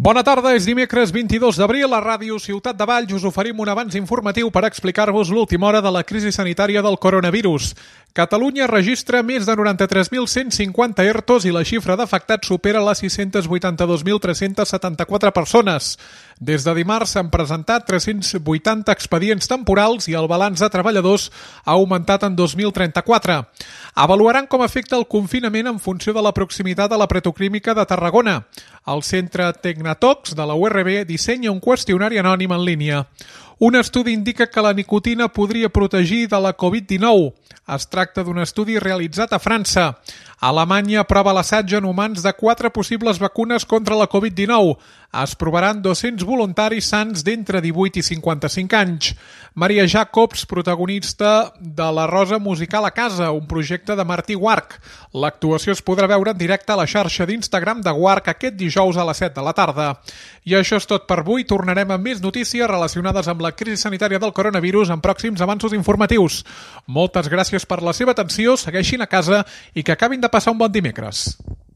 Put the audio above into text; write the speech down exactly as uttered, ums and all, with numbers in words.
Bona tarda, és dimecres vint-i-dos d'abril. A Ràdio Ciutat de Valls us oferim un avanç informatiu per explicar-vos l'última hora de la crisi sanitària del coronavirus. Catalunya registra més de noranta-tres mil cent cinquanta E R Tos i la xifra d'afectats supera les sis-cents vuitanta-dos mil tres-cents setanta-quatre persones. Des de dimarts s'han presentat tres-cents vuitanta expedients temporals i el balanç de treballadors ha augmentat en dos mil trenta-quatre. Avaluaran com afecta el confinament en funció de la proximitat a la Petroquímica de Tarragona. El Centre Tecnatox de la U R B dissenya un qüestionari anònim en línia. Un estudi indica que la nicotina podria protegir de la covid dinou. Es tracta d'un estudi realitzat a França. Alemanya aprova l'assaig en humans de quatre possibles vacunes contra la covid dinou. Es provaran dos-cents voluntaris sans d'entre divuit i cinquanta-cinc anys. Maria Jacobs, protagonista de La Rosa Musical a Casa, un projecte de Martí Guarch. L'actuació es podrà veure en directe a la xarxa d'Instagram de Guarch aquest dijous a les set de la tarda. I això és tot per avui. Tornarem amb més notícies relacionades amb la crisi sanitària del coronavirus en pròxims avanços informatius. Moltes gràcies per la seva atenció, segueixin a casa i que acabin de passar un bon dimecres.